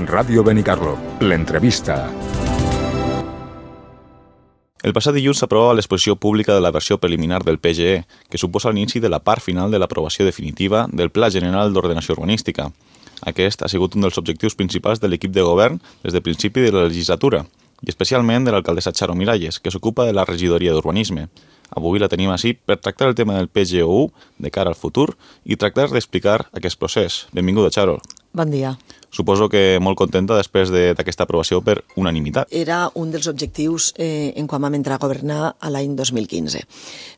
Ràdio Benicarló, l'entrevista. El passat dilluns s'aprovava l'exposició pública de la versió preliminar del PGE, que suposa l'inici de la part final de l'aprovació definitiva del Pla General d'Ordenació Urbanística. Aquest ha sigut un dels objectius principals de l'equip de govern des del principi de la legislatura, i especialment de l'alcaldessa Charo Miralles, que s'ocupa de la regidoria d'Urbanisme. Avui la tenim així per tractar el tema del PGU de cara al futur i tractar d'explicar aquest procés. Benvinguda, Charo. Bon dia. Suposo que molt contenta després d'aquesta aprovació per unanimitat. Era un dels objectius en quan vam entrar a governar a l'any 2015.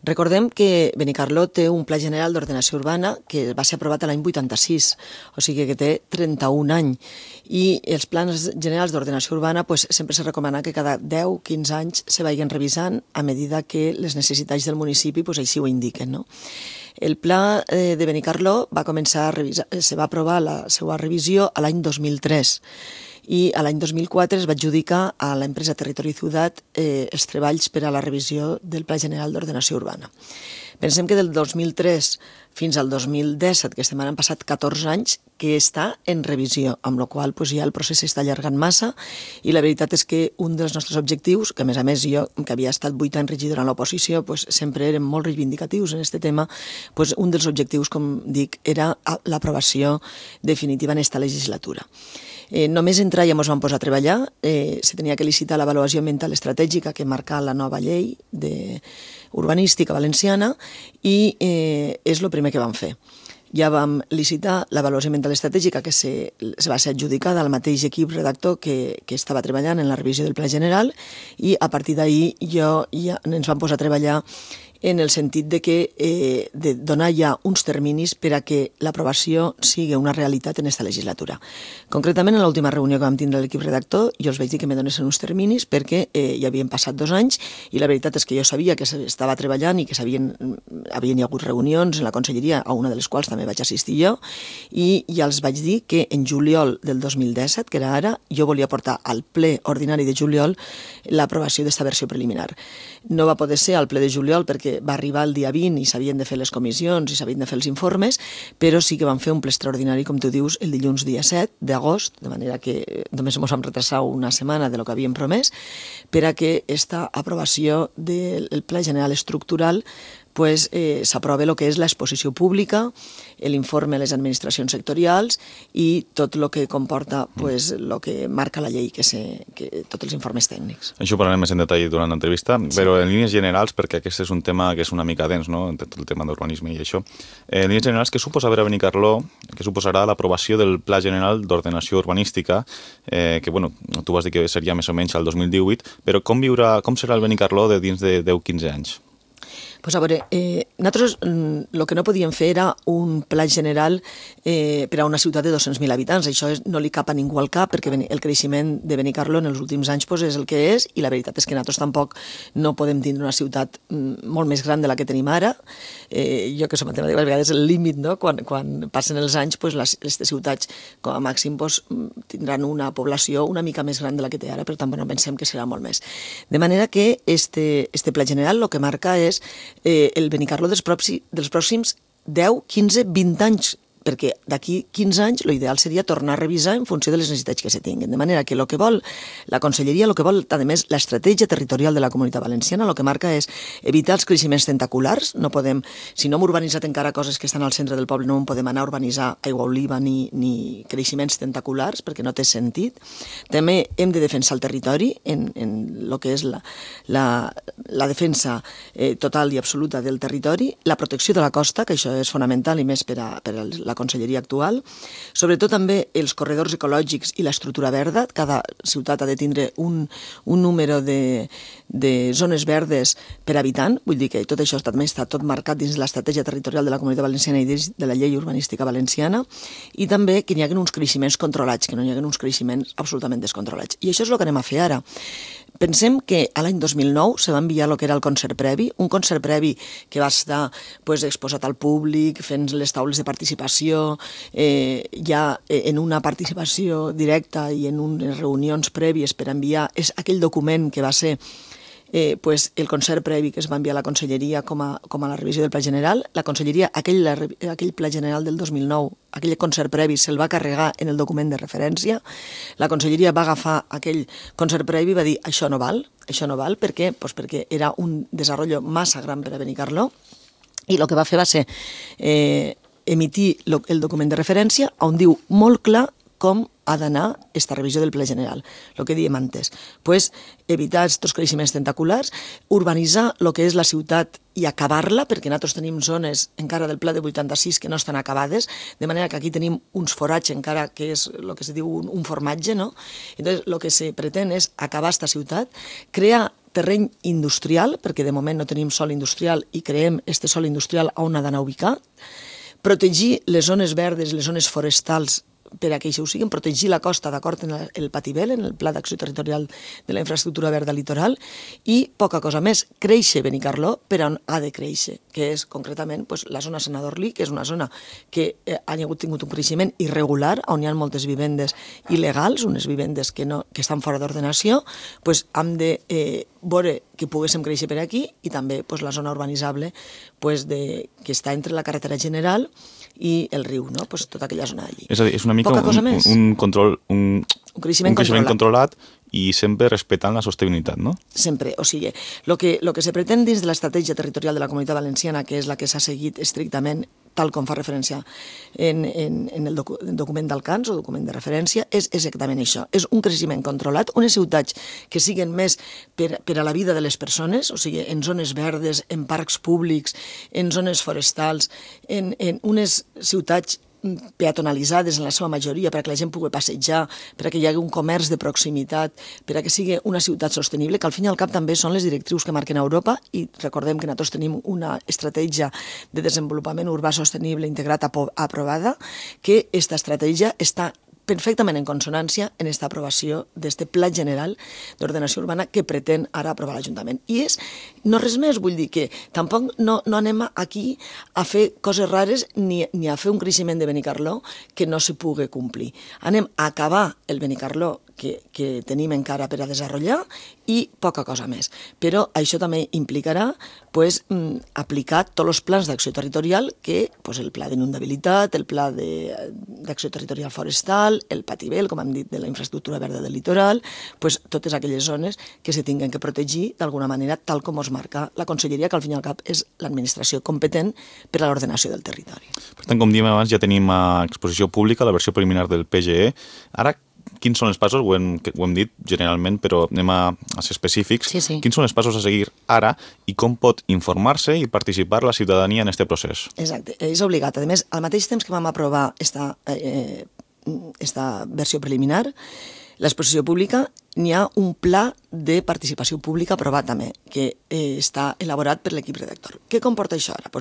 Recordem que Benicarló té un Pla General d'Ordenació Urbana que va ser aprovat l'any 86, o sigui que té 31 anys. I els plans generals d'ordenació urbana sempre se recomana que cada 10-15 anys se vagin revisant a medida que les necessitats del municipi així ho indiquen, no? El pla de Benicarló va començar a revisar, se va aprovar la seva revisió a l'any 2003 i a l'any 2004 es va adjudicar a l'empresa Territori i Ciutat els treballs per a la revisió del Pla General d'Ordenació Urbana. Pensem que del 2003 fins al 2017, que han passat 14 anys, que està en revisió, amb la qual cosa ja el procés s'està allargant massa i la veritat és que un dels nostres objectius, que a més jo, que havia estat 8 anys regidora en l'oposició, sempre érem molt reivindicatius en aquest tema, un dels objectius, com dic, era l'aprovació definitiva en aquesta legislatura. Només entrar ja ens vam posar a treballar, se tenia que licitar l'avaluació ambiental estratègica que marca la nova llei urbanística valenciana i és el primer que vam fer. Ja vam licitar l'avaluació ambiental estratègica que se va ser adjudicada al mateix equip redactor que estava treballant en la revisió del Pla General i a partir d'ahir ja ens vam posar a treballar en el sentit de donar ja uns terminis per a que l'aprovació sigui una realitat en aquesta legislatura. Concretament, en l'última reunió que vam tindre l'equip redactor, jo els vaig dir que me donessin uns terminis perquè ja havien passat 2 anys i la veritat és que jo sabia que s'estava treballant i que havien hagut reunions en la conselleria, a una de les quals també vaig assistir jo, i ja els vaig dir que en juliol del 2017, que era ara, jo volia portar al ple ordinari de juliol l'aprovació d'esta versió preliminar. No va poder ser al ple de juliol perquè va arribar el dia 20 i s'havien de fer les comissions i s'havien de fer els informes, però sí que vam fer un ple extraordinari, com tu dius, el dilluns dia 7 d'agost, de manera que només ens vam retrasar una setmana de lo que havíem promès, per a que esta aprovació del Pla General Estructural s'aprova el que és l'exposició pública, l'informe a les administracions sectorials i tot el que comporta el que marca la llei, que tots els informes tècnics. Això ho parlarem més en detall durant l'entrevista, però en línies generals, perquè aquest és un tema que és una mica dens, no?, tot el tema d'urbanisme i això. En línies generals, què suposa per a Benicarló, què suposarà l'aprovació del Pla General d'Ordenació Urbanística, que, tu vas dir que seria més o menys al 2018, però com serà el Benicarló de dins de 10-15 anys? A veure, nosaltres el que no podíem fer era un pla general per a una ciutat de 200.000 habitants. Això no li cap a ningú al cap perquè el creixement de Benicarló en els últims anys és el que és i la veritat és que nosaltres tampoc no podem tindre una ciutat molt més gran de la que tenim ara. Jo que som matemàtica, a vegades el límit, no? Quan passen els anys, les ciutats com a màxim tindran una població una mica més gran de la que té ara, per tant pensem que serà molt més. De manera que este pla general el que marca és el Benicarló dels pròxims 10, 15, 20 anys, perquè d'aquí 15 anys l'ideal seria tornar a revisar en funció de les necessitats que se tinguin. De manera que el que vol la conselleria, el que vol, a més, l'estratègia territorial de la Comunitat Valenciana, el que marca és evitar els creixements tentaculars. No podem, si no hem urbanitzat encara coses que estan al centre del poble, no en podem anar a urbanitzar aigua oliva ni creixements tentaculars, perquè no té sentit. També hem de defensar el territori en el que és la defensa total i absoluta del territori, la protecció de la costa, que això és fonamental i més per a la conselleria actual, sobretot també els corredors ecològics i l'estructura verda. Cada ciutat ha de tindre un número de zones verdes per habitant, vull dir que tot això també està tot marcat dins l'estratègia territorial de la Comunitat Valenciana i dins de la llei urbanística valenciana, i també que n'hi hagi uns creixements controlats, que no n'hi hagi uns creixements absolutament descontrolats. I això és el que anem a fer ara. Pensem que a l'any 2009 se va enviar el que era el concert previ, un concert previ que va estar exposat al públic, fent les taules de participació, ja en una participació directa i en unes reunions prèvies per enviar aquell document que va ser pues, el concert previ que es va enviar a la Conselleria com a la revisió del Pla General. La Conselleria, aquell Pla General del 2009, aquell concert previ se'l va carregar en el document de referència. La Conselleria va agafar aquell concert previ i va dir això no val. Per què? Pues perquè era un desenvolupament massa gran per a Benicarló, i el que va fer va ser emitir el document de referència on diu molt clar com ha d'anar aquesta revisió del Pla General. El que diem antes, pues, evitar aquests creixements tentaculars, urbanitzar el que és la ciutat i acabar-la, perquè nosaltres tenim zones encara del Pla de 86 que no estan acabades, de manera que aquí tenim uns forats encara que és el que se diu un formatge, no? Entonces, el que se pretén és acabar aquesta ciutat, crear terreny industrial, perquè de moment no tenim sòl industrial i creem este sòl industrial on ha d'anar ubicat, protegir les zones verdes, les zones forestals, per a que això ho siguin, protegir la costa d'acord amb el Patibel, en el Pla d'Acció Territorial de la Infraestructura Verda Litoral, i poca cosa més, créixer Benicarló per on ha de créixer, que és concretament la zona Sant Adorlí, que és una zona que ha tingut un creixement irregular, on hi ha moltes vivendes il·legals, unes vivendes que estan fora d'ordenació, hem de veure que poguéssim créixer per aquí, i també la zona urbanitzable que està entre la carretera general i el riu, no? Tota aquella zona d'allí. És a dir, és una mica un control, un creixement controlat i sempre respectant la sostenibilitat, no? Sempre, o sigui, el que se pretén dins de l'estratègia territorial de la Comunitat Valenciana, que és la que s'ha seguit estrictament, tal com fa referència en el document d'Alcans o document de referència, és exactament això. És un creixement controlat, unes ciutats que siguen més per a la vida de les persones, o sigui, en zones verdes, en parcs públics, en zones forestals, en unes ciutats peatonalitzades en la seva majoria, perquè la gent pugui passejar, perquè hi hagi un comerç de proximitat, perquè sigui una ciutat sostenible, que al fin i al cap també són les directrius que marquen Europa, i recordem que nosaltres tenim una estratègia de desenvolupament urbà sostenible integrat aprovada, que aquesta estratègia està perfectament en consonància en aquesta aprovació d'aquest Pla General d'Ordenació Urbana que pretén ara aprovar l'Ajuntament. I no res més, vull dir que tampoc no anem aquí a fer coses rares ni a fer un creixement de Benicarló que no se pugui complir. Anem a acabar el Benicarló que tenim encara per a desenvolupar i poca cosa més. Però això també implicarà aplicar tots els plans d'acció territorial que el pla d'inundabilitat, el pla d'acció territorial forestal, el Patibel, com hem dit, de la infraestructura verda del litoral, totes aquelles zones que se tinguen que protegir d'alguna manera, tal com es marca la Conselleria, que al fin i al cap és l'administració competent per a l'ordenació del territori. Per tant, com diem abans, ja tenim a exposició pública la versió preliminar del PGE. Ara, quins són els passos? Ho hem dit generalment, però anem a ser específics. Sí. Quins són els passos a seguir ara i com pot informar-se i participar la ciutadania en aquest procés? Exacte, és obligat. A més, al mateix temps que vam aprovar esta versió preliminar, l'exposició pública, n'hi ha un pla de participació pública aprovat també, que està elaborat per l'equip redactor. Què comporta això ara?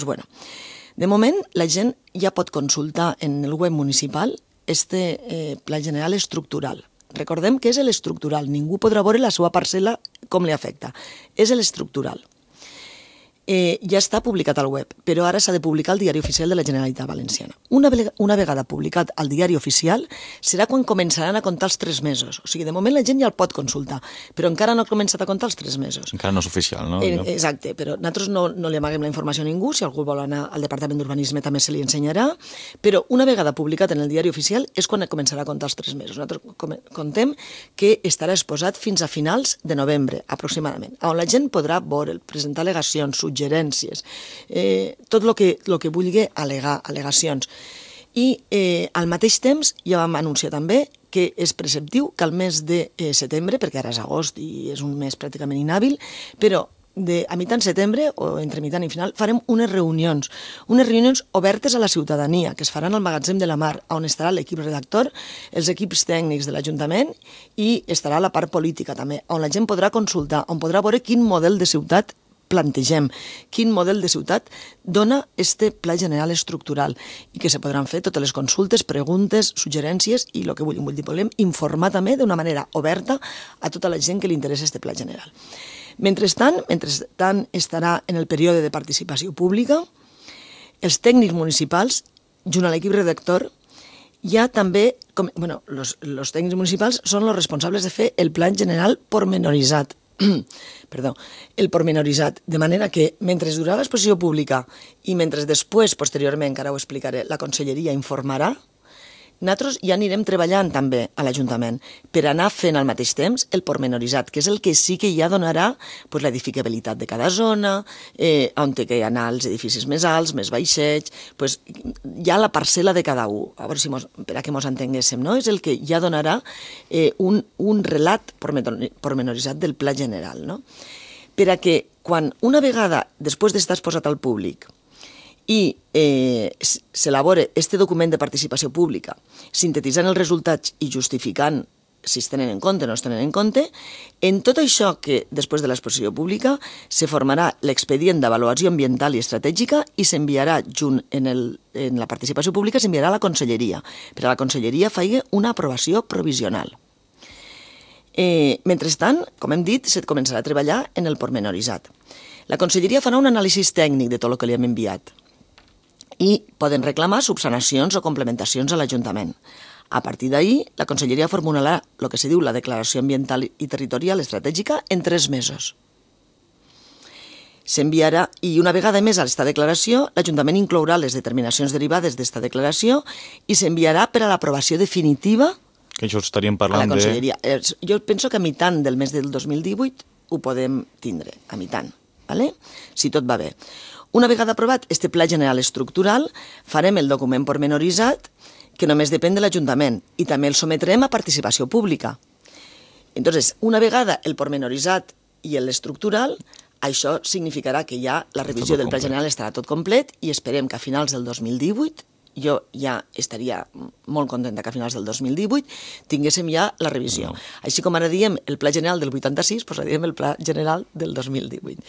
De moment, la gent ja pot consultar en el web municipal Pla General estructural. Recordem que és l'estructural, ningú podrà veure la seva parcel·la com li afecta. És l'estructural. Ja està publicat al web, però ara s'ha de publicar al Diari Oficial de la Generalitat Valenciana. Una vegada publicat al Diari Oficial serà quan començaran a comptar els 3 mesos. O sigui, de moment la gent ja el pot consultar, però encara no ha començat a comptar els 3 mesos. Encara no és oficial, no? Exacte, però nosaltres no li amaguem la informació a ningú, si algú vol anar al Departament d'Urbanisme també se li ensenyarà, però una vegada publicat en el Diari Oficial és quan començarà a comptar els 3 mesos. Nosaltres contem que estarà exposat fins a finals de novembre, aproximadament, on la gent podrà veure, presentar al·legacions, suggerències, tot el que vulgui al·legacions. I al mateix temps ja vam anunciar també que és preceptiu que al mes de setembre, perquè ara és agost i és un mes pràcticament inhàbil, però a mitjan setembre o entre mitjan i final farem unes reunions obertes a la ciutadania que es faran al magatzem de la Mar, on estarà l'equip redactor, els equips tècnics de l'Ajuntament i estarà la part política també, on la gent podrà consultar, on podrà veure quin model de ciutat plantegem, quin model de ciutat dona este Pla General estructural i que se podran fer totes les consultes, preguntes, suggerències i el que volem informar també d'una manera oberta a tota la gent que li interessa este Pla General. Mentrestant estarà en el període de participació pública, els tècnics municipals, junt a l'equip redactor, ja també, els tècnics municipals són els responsables de fer el Pla General pormenoritzat, perdó, el pormenoritzat, de manera que mentre durarà l'exposició pública i mentre després, posteriorment, encara ho explicaré, la Conselleria informarà, nosaltres ja anirem treballant també a l'Ajuntament per anar fent al mateix temps el pormenoritzat, que és el que sí que ja donarà pues, l'edificabilitat de cada zona, on té que anar els edificis més alts, més baixets, pues, ja la parcel·la de cada un, a veure si per a què ens entenguéssim, no? És el que ja donarà un relat pormenoritzat del pla general, no? Per a que quan una vegada, després d'estar exposat al públic, i s'elabora este document de participació pública, sintetitzant els resultats i justificant si es tenen en compte o no es tenen en compte, en tot això que després de l'exposició pública se formarà l'expedient d'avaluació ambiental i estratègica i s'enviarà junt en la participació pública, s'enviarà a la Conselleria, per a la Conselleria faci una aprovació provisional. Mentrestant, com hem dit, se començarà a treballar en el pormenoritzat. La Conselleria farà un anàlisi tècnic de tot el que li hem enviat i poden reclamar subsanacions o complementacions a l'Ajuntament. A partir d'ahir, la Conselleria formularà el que se diu la Declaració Ambiental i Territorial Estratègica en 3 mesos. S'enviarà, i una vegada més a aquesta declaració, l'Ajuntament inclourà les determinacions derivades d'esta declaració i s'enviarà per a l'aprovació definitiva que això estaríem parlant a la Conselleria. Jo penso que a mitant del mes del 2018 ho podem tindre, a mitant, ¿vale? Si tot va bé. Una vegada aprovat este Pla General Estructural, farem el document pormenoritzat, que només depèn de l'Ajuntament, i també el sometrem a participació pública. Entonces, una vegada el pormenoritzat i l'estructural, això significarà que ja la revisió del Pla General estarà tot complet i esperem que a finals del 2018, jo ja estaria molt contenta que a finals del 2018 tinguéssim ja la revisió. Així com ara diem el Pla General del 86, doncs ara diem el Pla General del 2018.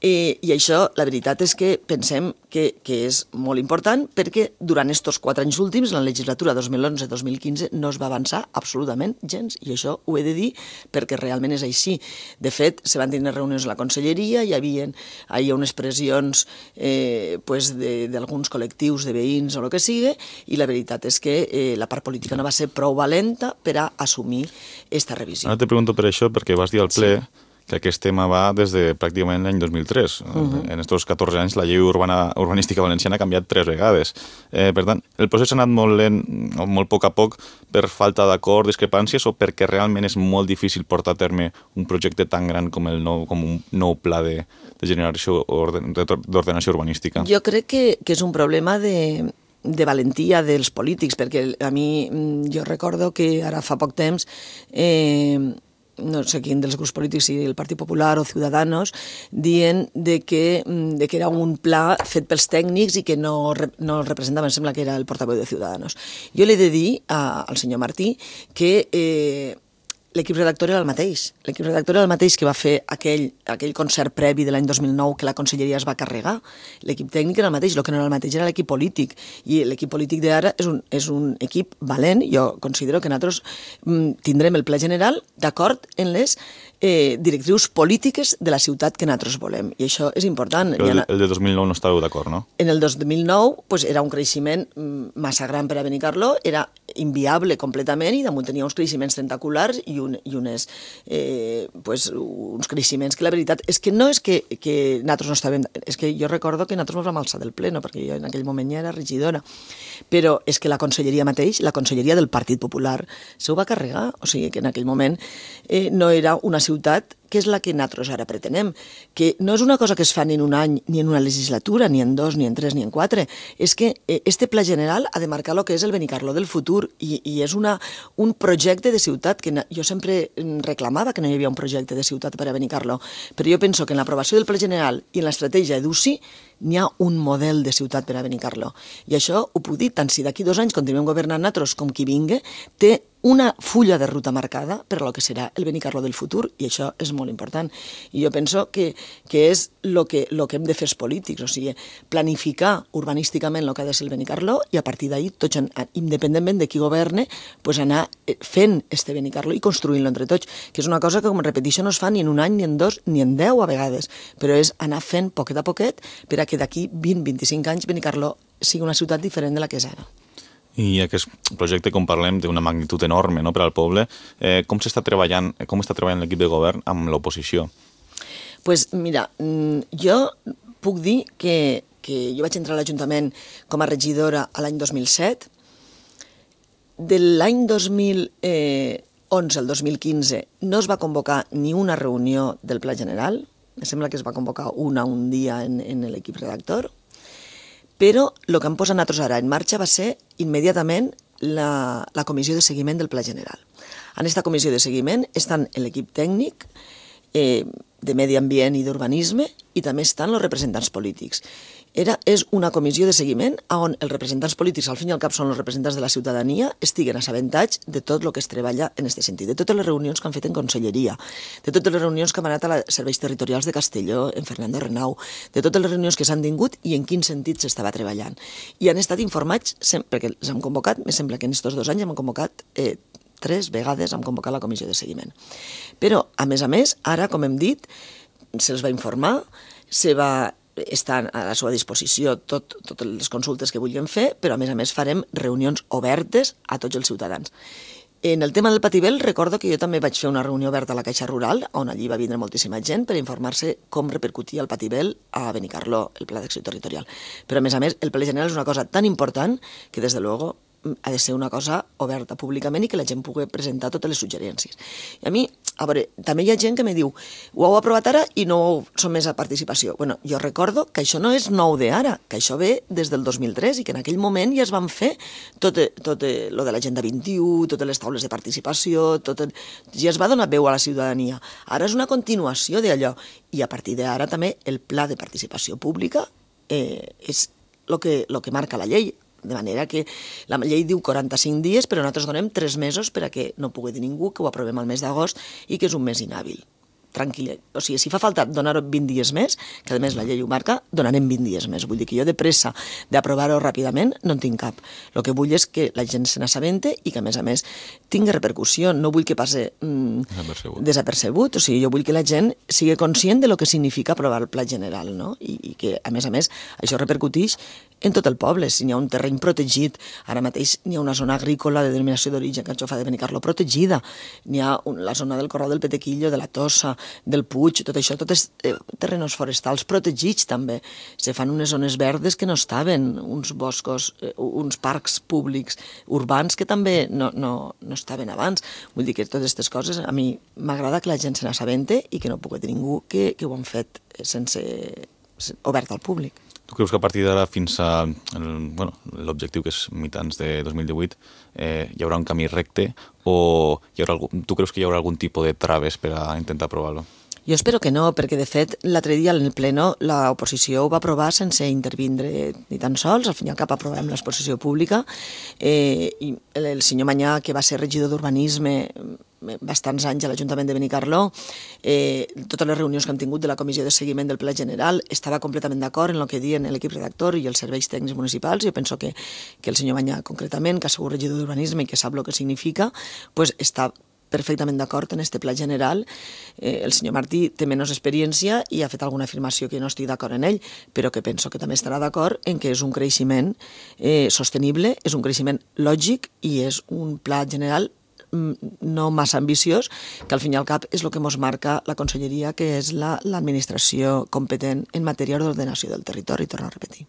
I això, la veritat és que pensem que és molt important perquè durant aquests 4 anys últims, la legislatura 2011-2015, no es va avançar absolutament gens, i això ho he de dir perquè realment és així. De fet, se van tenir reunions a la Conselleria, hi havia unes pressions d'alguns col·lectius de veïns o el que sigui, i la veritat és que la part política no va ser prou valenta per a assumir aquesta revisió. Ara te pregunto per això, perquè vas dir al ple que aquest tema va des de pràcticament l'any 2003. En aquests 14 anys la llei urbanística valenciana ha canviat 3 vegades. Per tant, el procés ha anat molt lent, o molt a poc, per falta d'acord, discrepàncies, o perquè realment és molt difícil portar a terme un projecte tan gran com un nou pla de generació d'ordenació urbanística? Jo crec que és un problema de valentia dels polítics, perquè a mi, jo recordo que ara fa poc temps no sé quin dels grups polítics, si el Partit Popular o Ciudadanos, dient que era un pla fet pels tècnics i que no representava, em sembla que era el portaveu de Ciudadanos. Jo li he de dir al senyor Martí que l'equip redactor era el mateix. L'equip redactor era el mateix que va fer aquell concert previ de l'any 2009 que la Conselleria es va carregar. L'equip tècnic era el mateix, el que no era el mateix era l'equip polític. I l'equip polític d'ara és un equip valent. Jo considero que nosaltres tindrem el Pla General d'acord en les directrius polítiques de la ciutat que nosaltres volem. I això és important. Però el de 2009 no estàveu d'acord, no? En el 2009 era un creixement massa gran per a Benicarló, era inviable completament i damunt tenia uns creixements tentaculars i uns creixements que la veritat és que no és que nosaltres no estàvem... És que jo recordo que nosaltres ens vam alçar del pleno, perquè jo en aquell moment ja era regidora, però és que la Conselleria mateix, la Conselleria del Partit Popular, s'ho va carregar. O sigui que en aquell moment no era una ciutat que és la que nosaltres ara pretenem, que no és una cosa que es fa ni en un any, ni en una legislatura, ni en 2, ni en 3, ni en 4, és que este Pla General ha de marcar el que és el Benicarló del futur i és un projecte de ciutat que jo sempre reclamava que no hi havia un projecte de ciutat per a Benicarló, però jo penso que en l'aprovació del Pla General i en l'estratègia EDUCI n'hi ha un model de ciutat per a Benicarló. I això ho puc dir, tant si d'aquí 2 anys continuem governant nosaltres com qui vingui, té una fulla de ruta marcada per a lo que serà el Benicarló del futur, i això és molt important. I jo penso que és el que hem de fer els polítics, o sigui, planificar urbanísticament el que ha de ser el Benicarló i a partir d'ahir, tots, independentment de qui governe, anar fent este Benicarló i construint-lo entre tots, que és una cosa que, com repeteixo, no es fa ni en un any, ni en 2, ni en 10 a vegades, però és anar fent poquet a poquet per a que d'aquí 20-25 anys Benicarló sigui una ciutat diferent de la que és ara. I aquest projecte, com parlem, té una magnitud enorme, no?, per al poble. Com està treballant l'equip de govern amb l'oposició? Pues mira, jo puc dir que jo vaig entrar a l'Ajuntament com a regidora a l'any 2007. De l'any 2011 al 2015 no es va convocar ni una reunió del Pla General. Me sembla que es va convocar un dia en l'equip redactor. Però el que hem posat nosaltres ara en marxa va ser immediatament la comissió de seguiment del Pla General. En aquesta comissió de seguiment estan l'equip tècnic de medi ambient i d'urbanisme i també estan els representants polítics. És una comissió de seguiment on els representants polítics, al fin i al cap són els representants de la ciutadania, estiguen assabentats de tot el que es treballa en aquest sentit, de totes les reunions que han fet en conselleria, de totes les reunions que han anat als serveis territorials de Castelló, en Fernando Renau, de totes les reunions que s'han tingut i en quin sentit s'estava treballant. I han estat informats, perquè els hem convocat, me sembla que en aquests 2 anys hem convocat 3 vegades, hem convocat la comissió de seguiment. Però, a més, ara, com hem dit, se'ls va informar, estan a la seva disposició totes les consultes que vulguin fer, però a més farem reunions obertes a tots els ciutadans. En el tema del Patibel, recordo que jo també vaig fer una reunió oberta a la Caixa Rural, on allí va vindre moltíssima gent per informar-se com repercutia el Patibel a Benicarló, el Pla d'Acció Territorial. Però a més, el Pla General és una cosa tan important que, des de luego, ha de ser una cosa oberta públicament i que la gent pugui presentar totes les suggerències. I a mi, a veure, també hi ha gent que me diu ho heu aprovat ara i no som més a participació. Bueno, jo recordo que això no és nou d'ara, que això ve des del 2003 i que en aquell moment ja es van fer tot lo de l'Agenda 21, totes les taules de participació, ja es va donar veu a la ciutadania. Ara és una continuació d'allò i a partir d'ara també el pla de participació pública és el que marca la llei. De manera que la llei diu 45 dies, però nosaltres donem 3 mesos per a que no pugui dir ningú que ho aprovem al mes d'agost i que és un mes inhàbil. Tranquil·la. O sigui, si fa falta donar 20 dies més, que a més la llei ho marca, donarem 20 dies més. Vull dir que jo de pressa d'aprovar-ho ràpidament no en tinc cap. El que vull és que la gent se n'assabente i que a més tingui repercussió. No vull que passi desapercebut. O sigui, jo vull que la gent sigui conscient de lo que significa aprovar el Pla General, no? I que a més això repercuteix en tot el poble. Si n'hi ha un terreny protegit, ara mateix n'hi ha una zona agrícola de denominació d'origen Carxofa de Benicarló protegida, n'hi ha la zona del Corral del Petequillo, de la Tossa, del Puig, tot això, tots terrenys forestals protegits també. Se fan unes zones verdes que no estaven, uns boscos, uns parcs públics urbans que també no estaven abans. Vull dir que totes aquestes coses a mi m'agrada que la gent se n'assabente i que no pugui dir ningú que ho han fet obert al públic. Tu creus que a partir d'ara fins a l'objectiu, que és mitjans de 2018, hi haurà un camí recte o tu creus que hi haurà algun tipus de traves per a intentar aprovar-lo? Jo espero que no, perquè de fet l'altre dia en el pleno l'oposició ho va aprovar sense intervindre ni tan sols, al fin i al cap aprovem l'exposició pública i el senyor Manyà, que va ser regidor d'urbanisme bastants anys a l'Ajuntament de Benicarló, totes les reunions que hem tingut de la comissió de seguiment del Pla General, estava completament d'acord en el que diuen l'equip redactor i els serveis tècnics municipals. Jo penso que el senyor Manyà, concretament, que ha sigut regidor d'urbanisme i que sap el que significa, pues està perfectament d'acord en este Pla General. El senyor Martí té menys experiència i ha fet alguna afirmació que no estic d'acord en ell, però que penso que també estarà d'acord en que és un creixement sostenible, és un creixement lògic i és un Pla General no massa ambiciós, que al fin i al cap és el que ens marca la Conselleria, que és l'administració competent en matèria d'ordenació del territori, torno a repetir.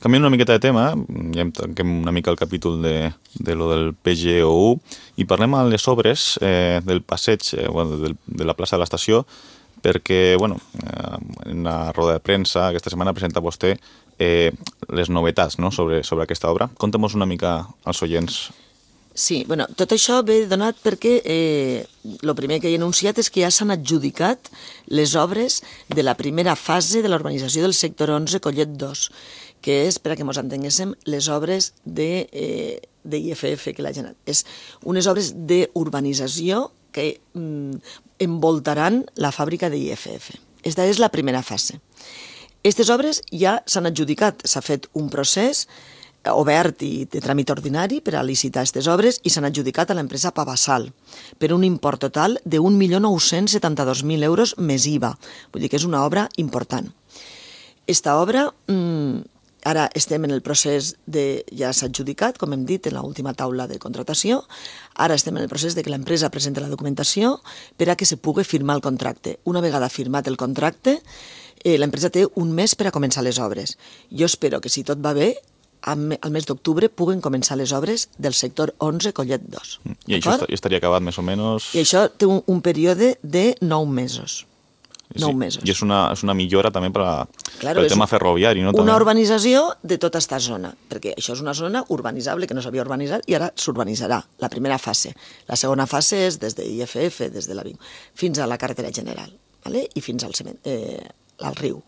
Canviem una miqueta de tema, ja tanquem una mica el capítol de lo del PGOU i parlem a les obres del passeig, de la plaça de l'estació, perquè, en una roda de premsa aquesta setmana presenta vostè les novetats sobre aquesta obra. Conta'm-nos una mica als oients. Sí, tot això ve donat perquè el primer que he anunciat és que ja s'han adjudicat les obres de la primera fase de la urbanització del sector 11 Collet 2, que és, per a que ens entenguéssim, les obres d'IFF que la gent... És unes obres d'urbanització que envoltaran la fàbrica d'IFF. Aquesta és la primera fase. Aquestes obres ja s'han adjudicat, s'ha fet un procés obert i de tràmit ordinari per a licitar aquestes obres i s'han adjudicat a l'empresa Pavassal per un import total de 1.972.000 euros més IVA. Vull dir que és una obra important. Esta obra Ara estem en el procés de... Ja s'ha adjudicat, com hem dit, en l'última taula de contratació. Ara estem en el procés de que l'empresa presenti la documentació per a que se pugui firmar el contracte. Una vegada firmat el contracte, l'empresa té un mes per a començar les obres. Jo espero que, si tot va bé, al mes d'octubre puguen començar les obres del sector 11 Collet 2. I això estaria acabat més o menys... I això té un període de 9 mesos. 9 mesos. I és una millora també per al tema ferroviari, no? Una urbanització de tota aquesta zona, perquè això és una zona urbanitzable que no s'havia urbanitzat i ara s'urbanitzarà, la primera fase. La segona fase és des de IFF, des de la Vic, fins a la carretera general, ¿vale? I fins al riu.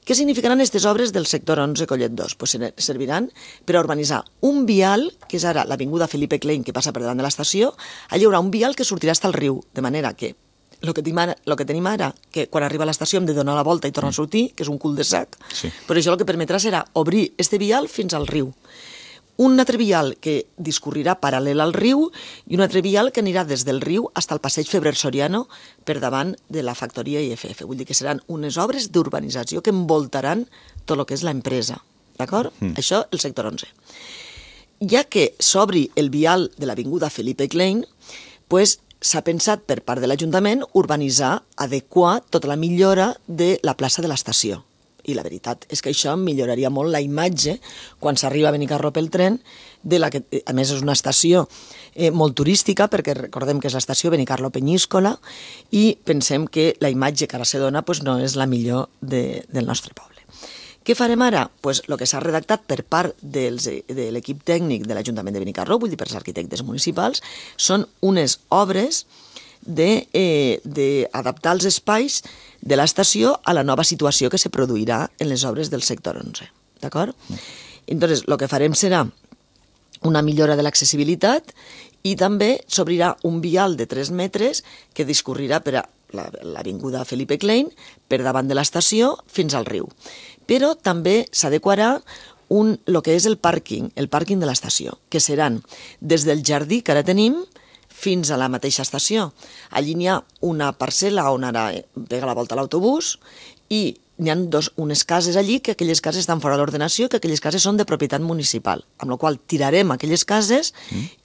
Què significaran aquestes obres del sector 11 Collet 2? Pues serviran per a urbanitzar un vial, que és ara l'avinguda Felipe Klein, que passa per davant de l'estació. Allà hi haurà un vial que sortirà fins al riu, de manera que el que tenim ara, que quan arriba a l'estació hem de donar la volta i tornar a sortir, que és un cul-de-sac, però això el que permetrà serà obrir este vial fins al riu. Un altre vial que discorrirà paral·lel al riu i un altre vial que anirà des del riu fins al passeig Febrer Soriano per davant de la factoria IFF. Vull dir que seran unes obres d'urbanització que envoltaran tot el que és l'empresa. D'acord? Això, el sector 11. Ja que s'obri el vial de l'avinguda Felipe Klein, pues, s'ha pensat per part de l'Ajuntament urbanitzar, adequar tota la millora de la plaça de l'estació. I la veritat és que això milloraria molt la imatge quan s'arriba a Benicarló pel tren, de la que, a més, és una estació molt turística, perquè recordem que és l'estació Benicarló-Penyíscola, i pensem que la imatge que ara se dona pues, no és la millor del nostre poble. Què farem ara? Pues el que s'ha redactat per part de l'equip tècnic de l'Ajuntament de Benicarló, vull dir per als arquitectes municipals, són unes obres d'adaptar els espais de l'estació a la nova situació que se produirà en les obres del sector 11. D'acord? Entonces, el que farem serà una millora de l'accessibilitat i també s'obrirà un vial de 3 metres que discorrirà per a l'avinguda Felipe Klein per davant de l'estació fins al riu. Però també s'adequarà el que és el pàrquing de l'estació, que seran des del jardí que ara tenim fins a la mateixa estació. Allí n'hi ha una parcel·la on ara pega la volta l'autobús i n'hi ha unes cases allí que aquelles cases estan fora d'ordenació, que aquelles cases són de propietat municipal, amb la qual tirarem aquelles cases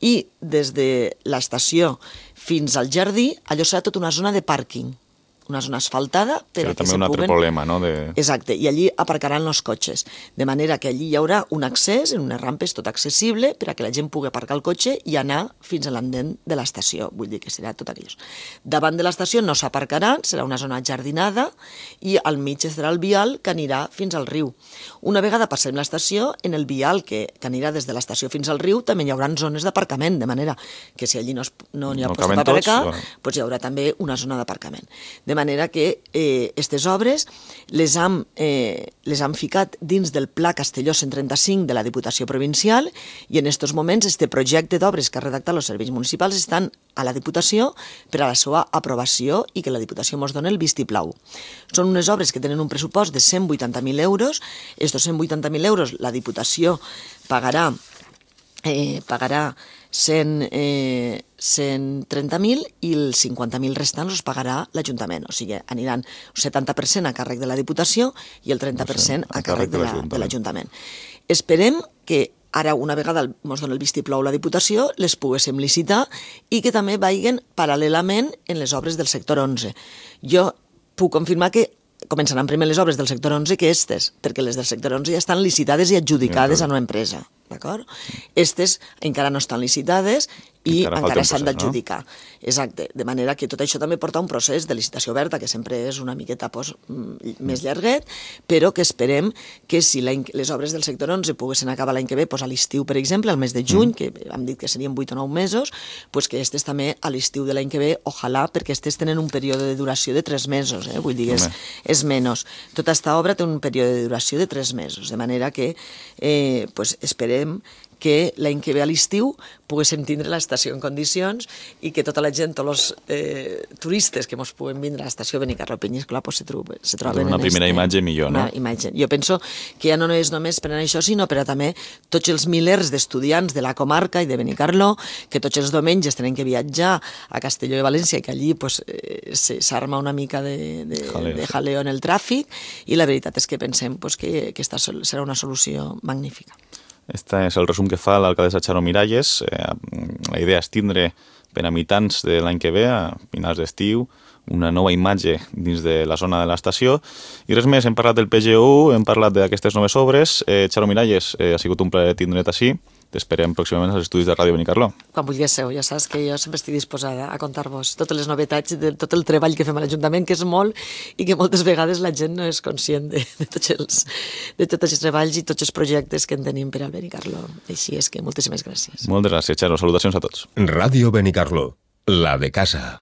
i des de l'estació fins al jardí allò serà tota una zona de pàrquing, una zona asfaltada per a que se puguen... També un altre problema, no? Exacte, i allí aparcaran els cotxes, de manera que allí hi haurà un accés en unes rampes tot accessible per a que la gent pugui aparcar el cotxe i anar fins a l'endent de l'estació, vull dir que serà tot aquello. Davant de l'estació no s'aparcaran, serà una zona jardinada i al mig estarà el vial que anirà fins al riu. Una vegada passem l'estació, en el vial que anirà des de l'estació fins al riu també hi haurà zones d'aparcament, de manera que si allí no n'hi ha post per aparcar, doncs hi haurà també una zona d'aparcament. De manera que aquestes obres les han ficat dins del Pla Castelló 135 de la Diputació Provincial i en aquests moments este projecte d'obres que ha redactat els serveis municipals estan a la Diputació per a la seva aprovació i que la Diputació ens doni el vistiplau. Són unes obres que tenen un pressupost de 180.000 euros. Estos 180.000 euros la Diputació pagarà 130.000 i els 50.000 restants els pagarà l'Ajuntament. O sigui, aniran el 70% a càrrec de la Diputació i el 30% a càrrec de l'Ajuntament. Esperem que ara, una vegada ens doni el vistiplau la Diputació, les poguéssim licitar i que també vagin paral·lelament en les obres del sector 11. Jo puc confirmar que començaran primer les obres del sector 11 que aquestes, perquè les del sector 11 ja estan licitades i adjudicades a una empresa. D'acord? Aquestes encara no estan licitades i encara s'han d'adjudicar. Exacte. De manera que tot això també porta un procés de licitació oberta, que sempre és una miqueta més llarguet, però que esperem que si les obres del sector 11 poguessin acabar l'any que ve, a l'estiu, per exemple, al mes de juny, que hem dit que serien 8 o 9 mesos, que aquestes també a l'estiu de l'any que ve, ojalà, perquè aquestes tenen un període de duració de 3 mesos, vull dir, és menys. Tota aquesta obra té un període de duració de 3 mesos, de manera que esperem que l'any que ve a l'estiu poguéssim tindre l'estació en condicions i que tota la gent, tots els turistes que mos puguen vindre a l'estació Benicarló Penyíscola se troben una primera imatge millor, no? Jo penso que ja no és només per això, sinó per a també tots els milers d'estudiants de la comarca i de Benicarló, que tots els diumenges tenen que viatjar a Castelló de València, que allí s'arma una mica de jaleo en el tràfic, i la veritat és que pensem que aquesta serà una solució magnífica. Este és el resum que fa l'alcaldessa Charo Miralles. La idea és tindre per a mitjans de l'any que ve, a finals d'estiu, una nova imatge dins de la zona de l'estació. I res més, hem parlat del PGU, hem parlat d'aquestes noves obres. Charo Miralles, ha sigut un plaer tindre't així. T'esperem pròximament als estudis de Ràdio Benicarló. Quan vulguéssiu, ja saps que jo sempre estic disposada a contar-vos totes les novetats de tot el treball que fem a l'Ajuntament, que és molt, i que moltes vegades la gent no és conscient de tots els treballs i tots els projectes que en tenim per al Benicarló. Així és que moltíssimes gràcies. Moltes gràcies, Charo. Salutacions a tots. Ràdio Benicarló, la de casa.